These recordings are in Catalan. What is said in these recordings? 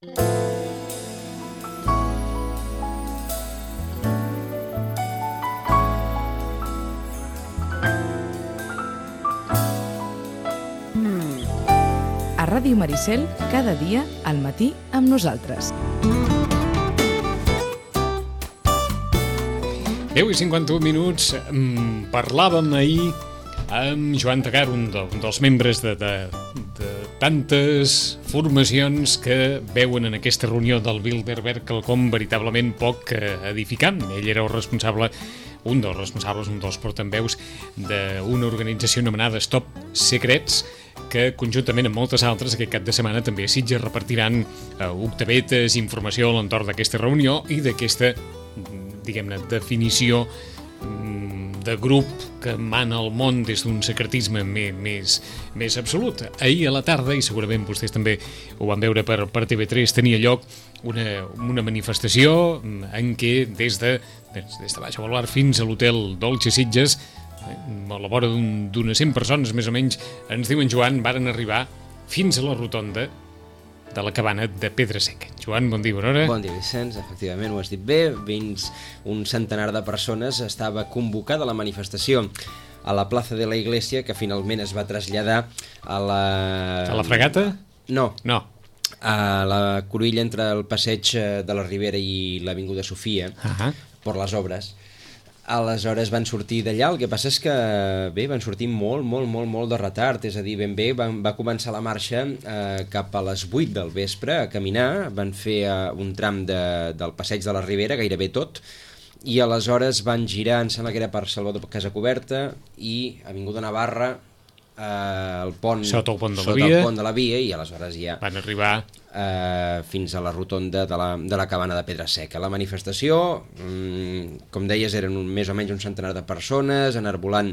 A Ràdio Maricel, cada dia al matí amb nosaltres. 10:51. Parlàvem ahir amb Joan Tagar, un dels membres de tantes formacions que veuen en aquesta reunió del Bilderberg quelcom veritablement poc edificant. Ell era el responsable, un dels portaveus d'una organització anomenada Stop Secrets, que conjuntament amb moltes altres aquest cap de setmana també a Sitges repartiran octavetes, informació a l'entorn d'aquesta reunió i d'aquesta, diguem-ne, definició de grup que mana el món des d'un secretisme més absolut. Ahir a la tarda, i segurament vostès també ho van veure per TV3, tenia lloc una manifestació en què des de Baix Baluard fins a l'hotel Dolce Sitges, a la vora d'unes 100 persones més o menys, ens diuen, Joan, varen arribar fins a la rotonda de la cabana de Pedra Seca. Joan, bon dia, bona hora. Bon dia, Vicenç, efectivament ho has dit bé. Fins un centenar de persones estava convocada la manifestació a la plaça de la Iglesia, que finalment es va traslladar a la... A la Fregata? No. A la cruïlla entre el passeig de la Ribera i l'Avinguda Sofia, per les obres. Aleshores van sortir d'allà, el que passa és que bé, van sortir molt de retard, és a dir, ben bé, va començar la marxa cap a les 8 del vespre a caminar, van fer un tram del passeig de la Ribera, gairebé tot, i aleshores van girar, em sembla que era per Salvador Casacoberta, i Avinguda Navarra, el pont, sota el pont de la via, i aleshores ja van arribar fins a la rotonda de la cabana de Pedra Seca. La manifestació, com deies, eren més o menys un centenar de persones, enarbolant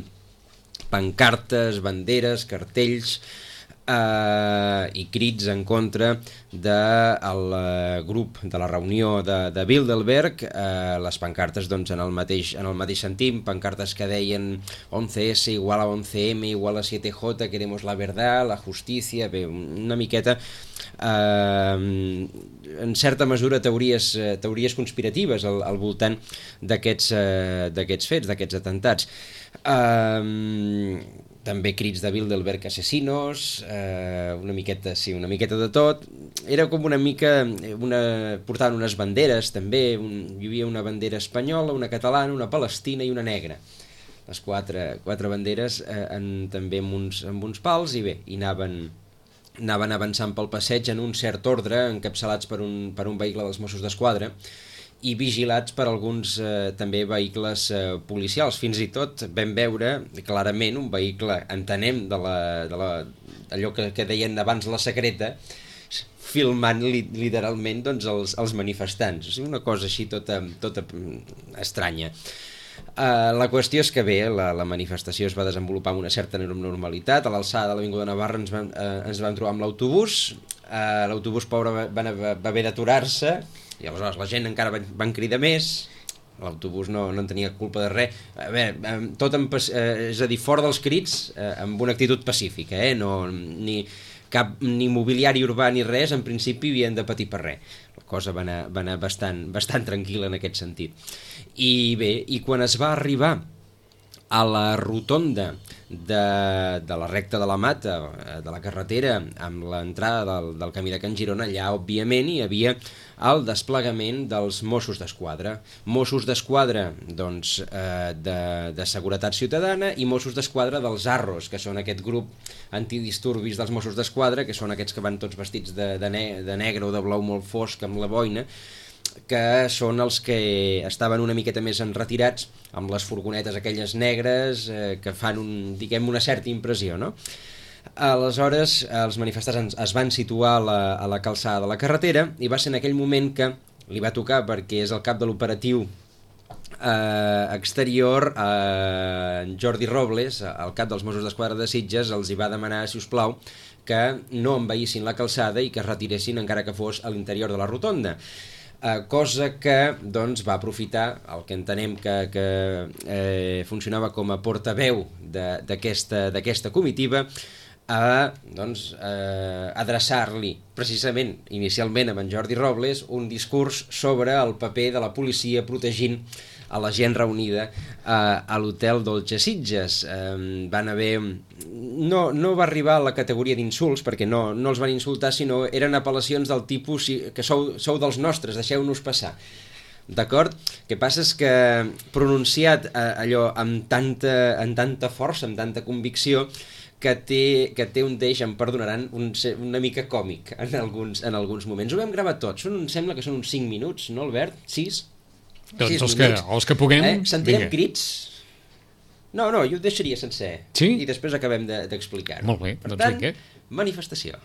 pancartes, banderes, cartells i crits en contra del grup de la reunió de Bilderberg. Les pancartes, doncs, en el mateix sentit, pancartes que deien 11S igual a 11M igual a 7J, queremos la verdad, la justicia, bé, una miqueta en certa mesura teories conspiratives al voltant d'aquests fets, d'aquests atentats. També crits de Bilderberg asesinos, una miqueta de tot. Era com una mica... portaven unes banderes, també. Hi havia una bandera espanyola, una catalana, una palestina i una negra. Les quatre banderes també amb uns pals, i bé, i anaven avançant pel passeig en un cert ordre, encapçalats per un vehicle dels Mossos d'Esquadra i vigilats per alguns també vehicles policials. Fins i tot vam veure clarament un vehicle, entenem, allò que deien abans la secreta, filmant literalment, doncs, els manifestants. O sigui, una cosa així tota estranya. La qüestió és que bé, la manifestació es va desenvolupar amb una certa normalitat. A l'alçada de l'Avinguda Navarra ens vam trobar amb l'autobús. L'autobús, pobre, va haver d'aturar-se, i aleshores la gent encara van cridar més. L'autobús no en tenia culpa de res. A veure, és a dir, fora dels crits, amb una actitud pacífica, ni mobiliari urbà ni res, en principi havien de patir per res. La cosa va anar bastant tranquil·la en aquest sentit. I bé, i quan es va arribar a la rotonda de la recta de la Mata, de la carretera, amb l'entrada del camí de Can Girona, allà, òbviament, hi havia el desplegament dels Mossos d'Esquadra. Mossos d'Esquadra, doncs, de Seguretat Ciutadana, i Mossos d'Esquadra dels Arros, que són aquest grup antidisturbis dels Mossos d'Esquadra, que són aquests que van tots vestits de negre o de blau molt fosc amb la boina, que són els que estaven una miqueta més enretirats, amb les furgonetes aquelles negres que fan una certa impressió, no? Aleshores, els manifestants es van situar a la calçada de la carretera, i va ser en aquell moment que li va tocar, perquè és el cap de l'operatiu exterior, Jordi Robles, el cap dels Mossos d'Esquadra de Sitges, els hi va demanar, si us plau, que no envaïssin la calçada i que es retiressin encara que fos a l'interior de la rotonda. Cosa que doncs, va aprofitar el que entenem que funcionava com a portaveu d'aquesta comitiva, a adreçar-li precisament inicialment amb en Jordi Robles un discurs sobre el paper de la policia protegint a la gent reunida a l'hotel Dolce Sitges. Van haver... No va arribar a la categoria d'insults, perquè no els van insultar, sinó eren apel·lacions del tipus que sou dels nostres, deixeu-nos passar. D'acord? El que passa és que pronunciat allò amb tanta força, amb tanta convicció, que té un deix, em perdonaran, una mica còmic en alguns moments. Ho vam gravar tot, em sembla que són uns 5 minuts, no, Albert? 6? Doncs els que puguem... Sentirem crits? No, jo ho deixaria sencer. Sí? I després acabem d'explicar-ho. Molt bé, per doncs tant, vinga. Manifestació.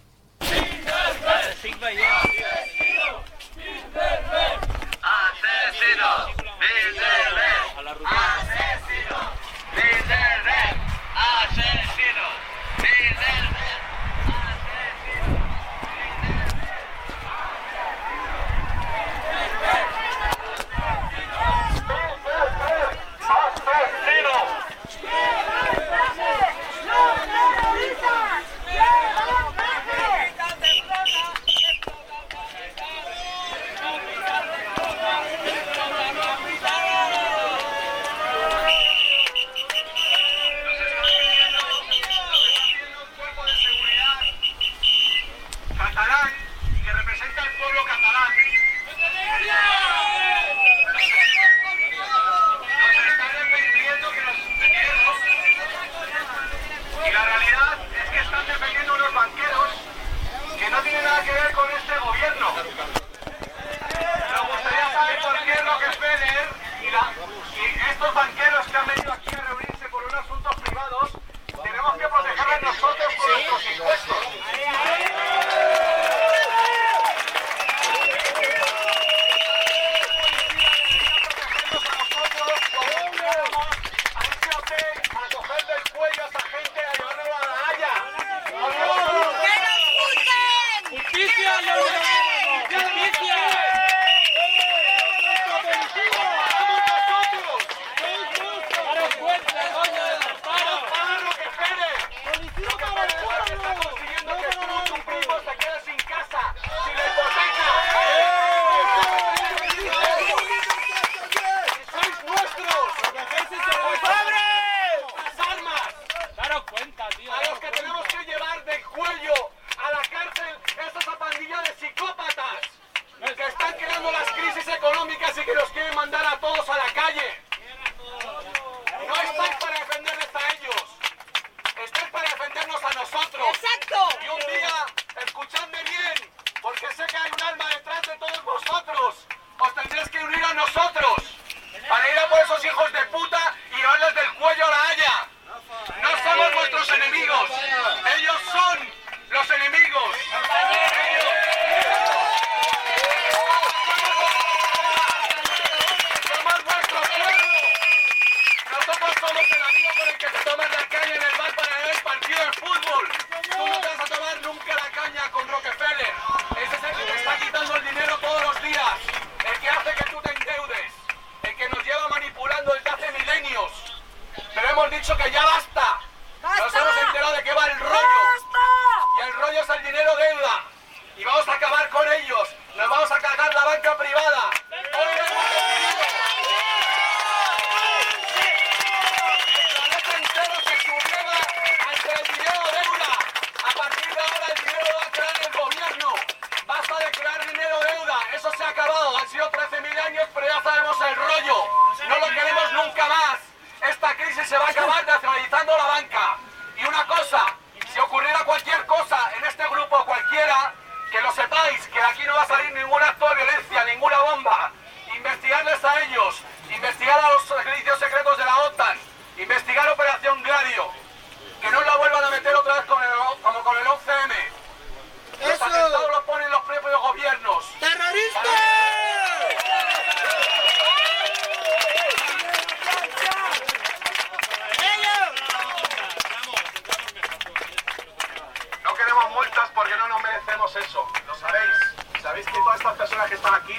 Sabéis que todas estas personas que están aquí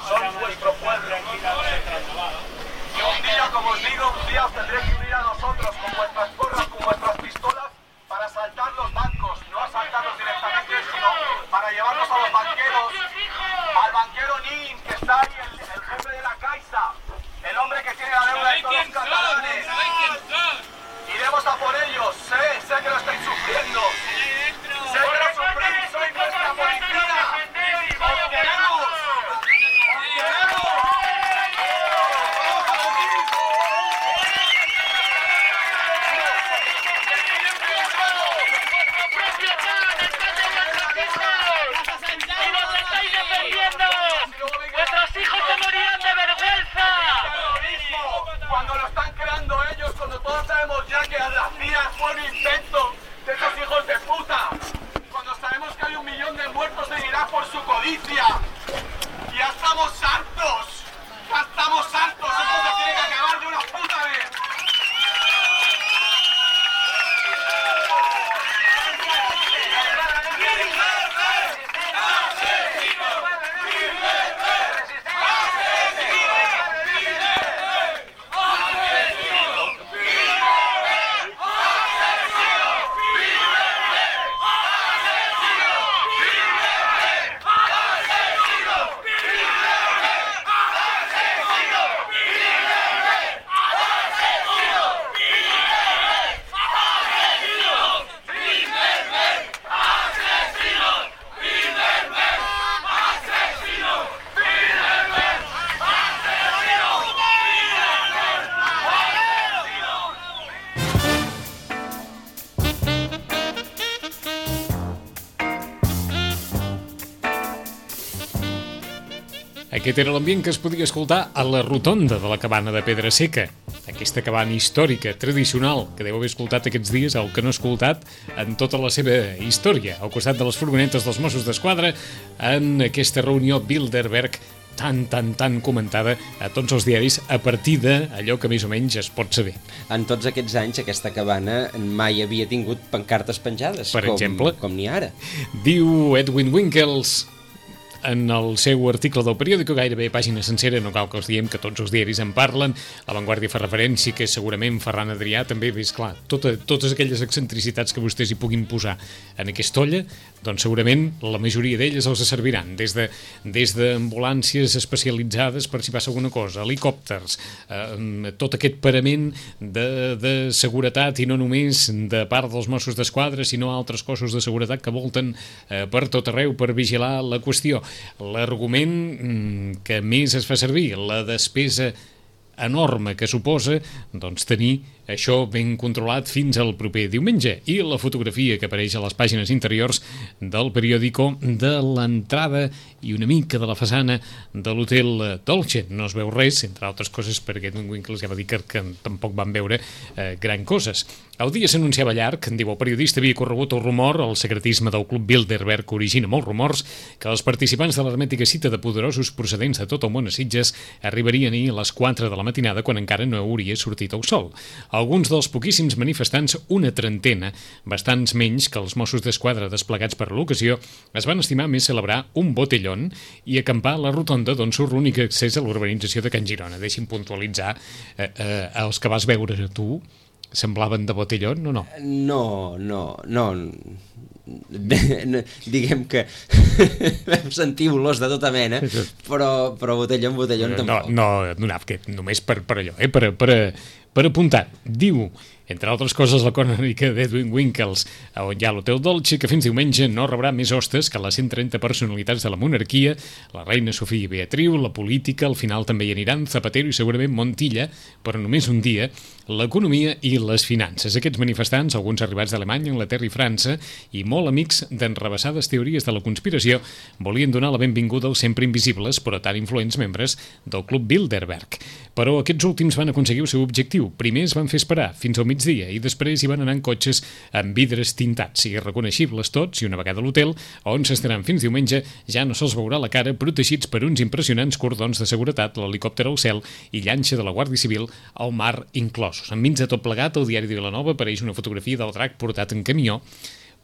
son vuestro pueblo. Y un día, como os digo, un día os tendréis que unir a nosotros con vuestras porras, con vuestras pistolas, para asaltar los bancos. violencia. Ya estamos hartos. Ya estamos hartos. Esto se tiene que acabar de una puta vez. Aquest era l'ambient que es podia escoltar a la rotonda de la cabana de Pedra Seca. Aquesta cabana històrica, tradicional, que deu haver escoltat aquests dies, el que no ha escoltat en tota la seva història, al costat de les furgonetes dels Mossos d'Esquadra, en aquesta reunió Bilderberg tan comentada a tots els diaris a partir d'allò que més o menys es pot saber. En tots aquests anys aquesta cabana mai havia tingut pancartes penjades, per exemple, com n'hi ha ara. Diu Edwin Winkels en el seu article del periòdico, gairebé pàgina sencera, no cal que els diem que tots els diaris en parlen, La Vanguardia fa referència, que segurament Ferran Adrià també, és clar, totes aquelles excentricitats que vostès hi puguin posar en aquesta olla, doncs segurament la majoria d'elles els serviran, des d'ambulàncies especialitzades per si passa alguna cosa, helicòpters, tot aquest parament de seguretat, i no només de part dels Mossos d'Esquadra, sinó altres cossos de seguretat que volten per tot arreu per vigilar la qüestió. L'argument que més es fa servir, la despesa enorme que suposa doncs, tenir això ben controlat fins al proper diumenge, i la fotografia que apareix a les pàgines interiors del periòdico de l'entrada i una mica de la façana de l'hotel Dolce. No es veu res, entre altres coses perquè Edwin Winkels ja va dir que tampoc van veure gran coses. El dia s'anunciava llarg, diu el periodista, havia corregut el rumor, el secretisme del Club Bilderberg origina molts rumors, que els participants de l'hermètica cita de poderosos procedents de tot el món a Sitges arribarien ahir a les 4 de la matinada quan encara no hauria sortit el sol. Alguns dels poquíssims manifestants, una trentena, bastants menys que els Mossos d'Esquadra desplegats per l'ocasió, es van estimar més celebrar un botellón i acampar a la rotonda d'on surt l'únic accés a l'urbanització de Can Girona. Deixi'm puntualitzar, els que vas veure tu semblaven de botellón o no? No. Diguem que vam sentir olors de tota mena, però botellón tampoc. No, només per allò, per apuntar. Diu, entre altres coses, la crònica d'Edwin Winkels, on hi ha l'Hotel Dolce, que fins diumenge no rebrà més hostes que les 130 personalitats de la monarquia, la reina Sofia i Beatriu, la política, al final també hi aniran Zapatero i segurament Montilla, però només un dia, l'economia i les finances. Aquests manifestants, alguns arribats d'Alemanya, Anglaterra i França, i molt amics d'enrebaçades teories de la conspiració, volien donar la benvinguda als sempre invisibles, però tan influents membres del Club Bilderberg. Però aquests últims van aconseguir el seu objectiu. Primer es van fer esperar fins al migdia i després hi van anar en cotxes amb vidres tintats i reconeixibles tots, i una vegada a l'hotel, on s'estaran fins diumenge, ja no se'ls veurà la cara, protegits per uns impressionants cordons de seguretat, l'helicòpter al cel i llanxa de la Guàrdia Civil al mar inclosos. Enmig de tot plegat, al diari de Vilanova apareix una fotografia del drac portat en camió,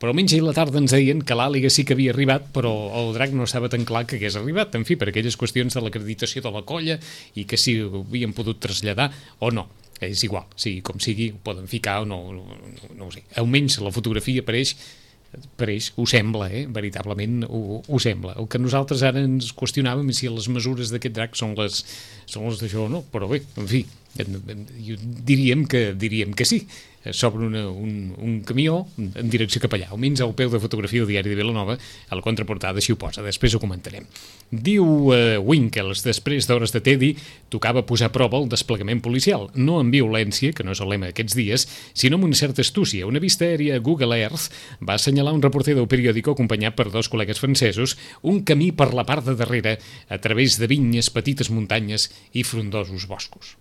però almenys ahir a la tarda ens deien que l'àliga sí que havia arribat, però el drac no estava tan clar que hagués arribat, en fi, per aquelles qüestions de l'acreditació de la colla i que si ho havien pogut traslladar o no. És igual, sigui com sigui, ho poden ficar o no ho sé. Almenys la fotografia apareix, ho sembla, veritablement ho sembla. El que nosaltres ara ens qüestionàvem és si les mesures d'aquest drac són les d'això o no, però bé, en fi, diríem que sí. S'obre un camió en direcció cap allà, almenys al peu de fotografia del diari de Vilanova, a la contraportada així ho posa, després ho comentarem. Diu Winkels, després d'hores de tedi, tocava posar a prova el desplegament policial, no amb violència, que no és el lema d'aquests dies, sinó amb una certa astúcia. Una vista aèria a Google Earth va assenyalar un reporter del periòdico acompanyat per dos col·legues francesos un camí per la part de darrere a través de vinyes, petites muntanyes i frondosos boscos.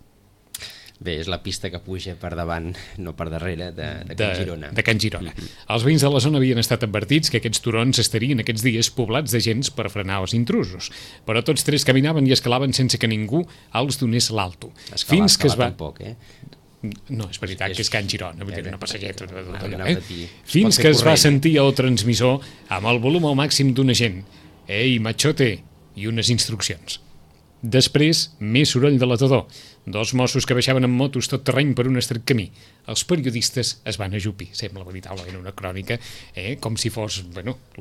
Bé, és la pista que puja per davant, no per darrere, de Can Girona. De Can Girona. Els veïns de la zona havien estat advertits que aquests turons estarien aquests dies poblats de gens per frenar els intrusos, però tots tres caminaven i escalaven sense que ningú els donés l'alto. Fins que es va... tampoc, No, és veritat que és Can Girona, vull dir, una passalleta. Fins que es va sentir el transmissor amb el volum al màxim d'un agent. Ei, machote! I unes instruccions. Després, més soroll de l'atador. 2 Mossos que baixaven amb motos tot terreny per un estret camí. Els periodistes es van ajupir, sembla veritablement una crònica, com si fos,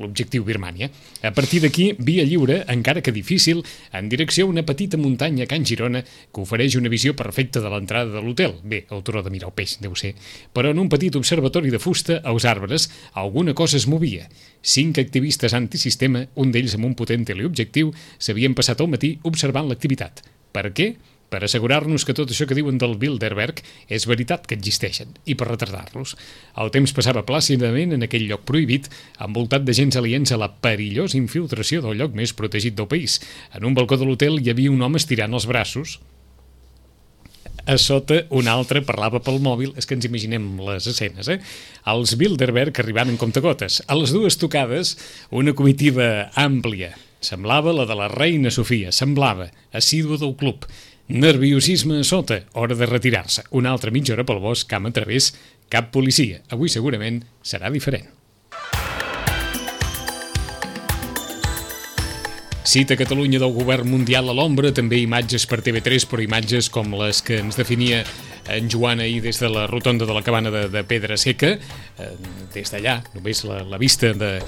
l'objectiu Birmània. A partir d'aquí, via lliure, encara que difícil, en direcció a una petita muntanya a Can Girona que ofereix una visió perfecta de l'entrada de l'hotel. Bé, el turó de mirar el peix, deu ser. Però en un petit observatori de fusta, als arbres, alguna cosa es movia. 5 activistes antisistema, un d'ells amb un potent teleobjectiu, s'havien passat el matí observant l'activitat. Per què? Per assegurar-nos que tot això que diuen del Bilderberg és veritat que existeixen, i per retardar-los. El temps passava plàcidament en aquell lloc prohibit, envoltat de gens aliens a la perillosa infiltració del lloc més protegit del país. En un balcó de l'hotel hi havia un home estirant els braços. A sota, un altre parlava pel mòbil. És que ens imaginem les escenes, Els Bilderberg arribant en comptagotes. A les 2 tocades, una comitiva àmplia. Semblava la de la reina Sofia, semblava, assídua del club. Nerviosisme a sota, hora de retirar-se. Una altra mitja hora pel bosc, camp a través, cap policia. Avui segurament serà diferent. Cita Catalunya del govern mundial a l'ombra, també imatges per TV3, però imatges com les que ens definia en Joan ahir des de la rotonda de la cabana de Pedra Seca, des d'allà, només la vista de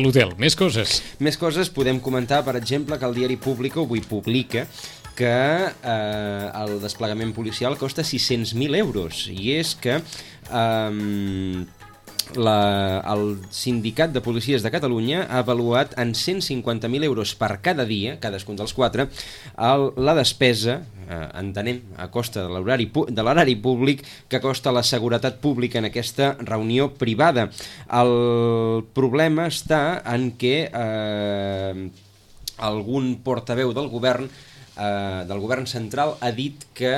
l'hotel. Més coses. Més coses, podem comentar, per exemple, que el diari Público avui publica que el desplegament policial costa 600.000 euros, i és que el Sindicat de Policies de Catalunya ha avaluat en 150.000 euros per cada dia, cadascun dels 4, la despesa, entenem, a costa de l'horari públic, que costa la seguretat pública en aquesta reunió privada. El problema està en què algun portaveu del govern central ha dit que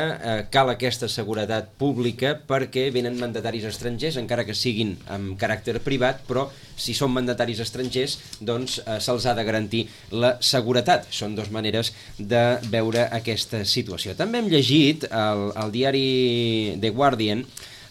cal aquesta seguretat pública perquè venen mandataris estrangers, encara que siguin amb caràcter privat, però si són mandataris estrangers, doncs se'ls ha de garantir la seguretat. Són 2 maneres de veure aquesta situació. També hem llegit al diari The Guardian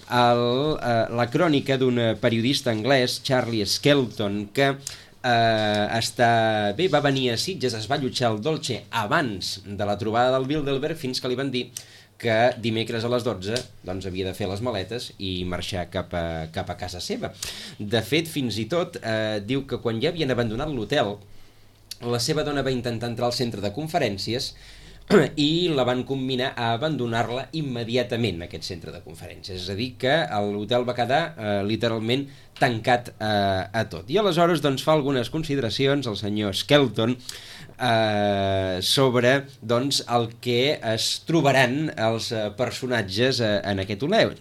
la crònica d'un periodista anglès, Charlie Skelton, que va venir a Sitges, es va allotjar al Dolce abans de la trobada del Bilderberg, fins que li van dir que dimecres a les 12 doncs havia de fer les maletes i marxar cap a casa seva. De fet, fins i tot diu que quan ja havien abandonat l'hotel, la seva dona va intentar entrar al centre de conferències i la van combinar a abandonar-la immediatament, aquest centre de conferències. És a dir, que l'hotel va quedar literalment tancat a tot. I aleshores doncs, fa algunes consideracions el senyor Skelton sobre el que es trobaran els personatges en aquest hotel.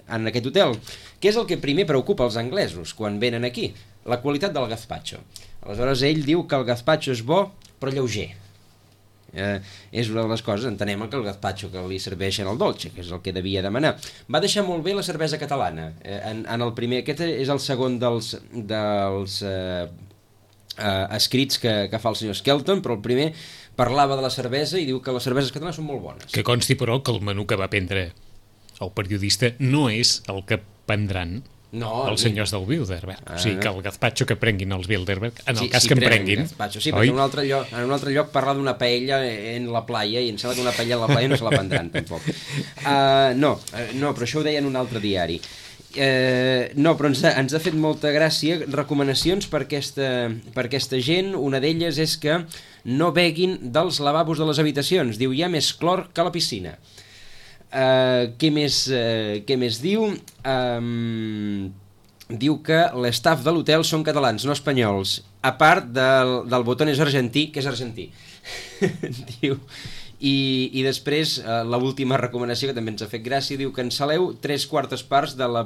Què és el que primer preocupa els anglesos quan venen aquí? La qualitat del gazpacho. Aleshores ell diu que el gazpacho és bo però lleuger. És una de les coses, entenem que el gazpacho que li serveixen al Dolce, que és el que devia demanar. Va deixar molt bé la cervesa catalana. En el primer, aquest és el segon dels escrits que fa el senyor Skelton, però el primer parlava de la cervesa i diu que les cerveses catalanes són molt bones. Que consti, però, que el menú que va prendre el periodista no és el que prendran els senyors del Bilderberg. O sigui, que el gazpacho que prenguin els Bilderberg, en el cas que en prenguin... Sí, perquè en un altre lloc parla d'una paella en la playa, i em sembla que una paella en la playa no se la prendran, tampoc. No, però això ho deia en un altre diari. No, però ens ha fet molta gràcia recomanacions per aquesta gent. Una d'elles és que no beguin dels lavabos de les habitacions. Diu, hi ha més clor que a la piscina. Què més diu? Diu que l'estaf de l'hotel són catalans, no espanyols, a part del Botones argentí, que és argentí. Diu, I després, l'última recomanació, que també ens ha fet gràcia, diu: cancel·leu 3/4 parts de la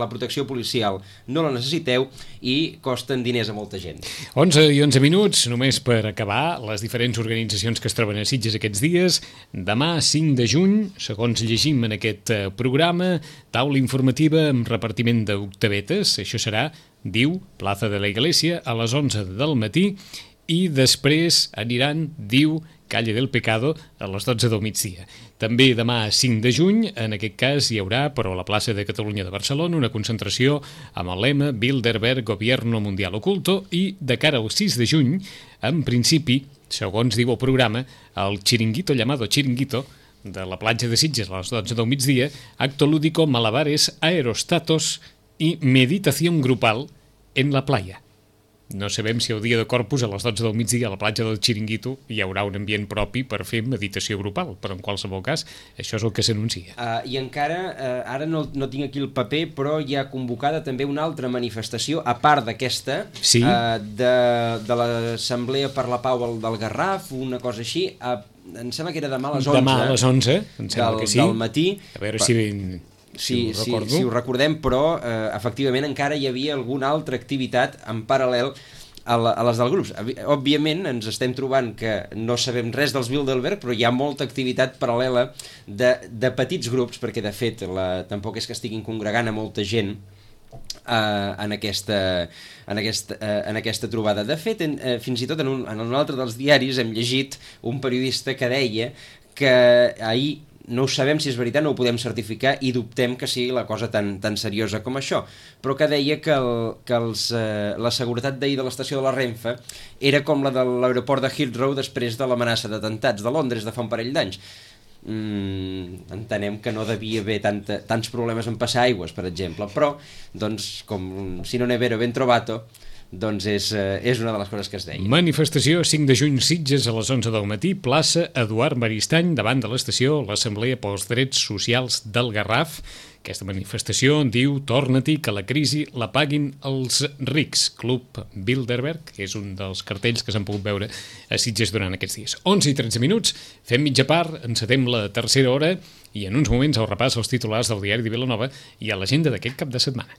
protecció policial. No la necessiteu i costen diners a molta gent. 11 i 11 minuts, només per acabar, les diferents organitzacions que es troben a Sitges aquests dies. Demà, 5 de juny, segons llegim en aquest programa, taula informativa amb repartiment d'octavetes. Això serà, diu, Plaza de la Iglesia, a les 11 del matí, i després aniran, diu, Calle del Pecado, a les 12 del migdia. També demà, 5 de juny, en aquest cas hi haurà, però a la plaça de Catalunya de Barcelona, una concentració amb el lema Bilderberg, Gobierno Mundial Oculto, i de cara al 6 de juny, en principi, segons diu el programa, el Chiringuito llamado Chiringuito, de la platja de Sitges a les 12 del migdia, acto lúdico, malabares, aerostatos i meditación grupal en la playa. No sabem si el dia de Corpus a les 12 del migdia a la platja del Chiringuito hi haurà un ambient propi per fer meditació grupal, però en qualsevol cas això és el que s'anuncia. I encara, ara no tinc aquí el paper, però hi ha convocada també una altra manifestació, a part d'aquesta, sí? De l'Assemblea per la Pau del Garraf, una cosa així, em sembla que era demà a les 11. Demà a les 11, em sembla que sí. Del matí. A veure si ho recordem, però efectivament encara hi havia alguna altra activitat en paral·lel a les del grup. Òbviament ens estem trobant que no sabem res dels Bilderberg, però hi ha molta activitat paral·lela de petits grups, perquè de fet tampoc és que estiguin congregant a molta gent en aquesta trobada. De fet, fins i tot en un altre dels diaris hem llegit un periodista que deia que ahir, no ho sabem si és veritat, no ho podem certificar i dubtem que sigui la cosa tan seriosa com això, però que deia que la seguretat d'ahir de l'estació de la Renfe era com la de l'aeroport de Heathrow després de l'amenaça d'atemptats de Londres de fa un parell d'anys. Entenem que no devia haver tants problemes en passar aigües, per exemple, però doncs, com si non è vero ben trovato, doncs és una de les coses que es deia. Manifestació 5 de juny, Sitges, a les 11 del matí, plaça Eduard Maristany, davant de l'estació l'Assemblea pels Drets Socials del Garraf. Aquesta manifestació diu: torna-t'hi, que la crisi la paguin els rics. Club Bilderberg, que és un dels cartells que s'han pogut veure a Sitges durant aquests dies. 11 i 13 minuts, fem mitja part, encetem la tercera hora i en uns moments el repàs als titulars del diari de Vilanova i a l'agenda d'aquest cap de setmana.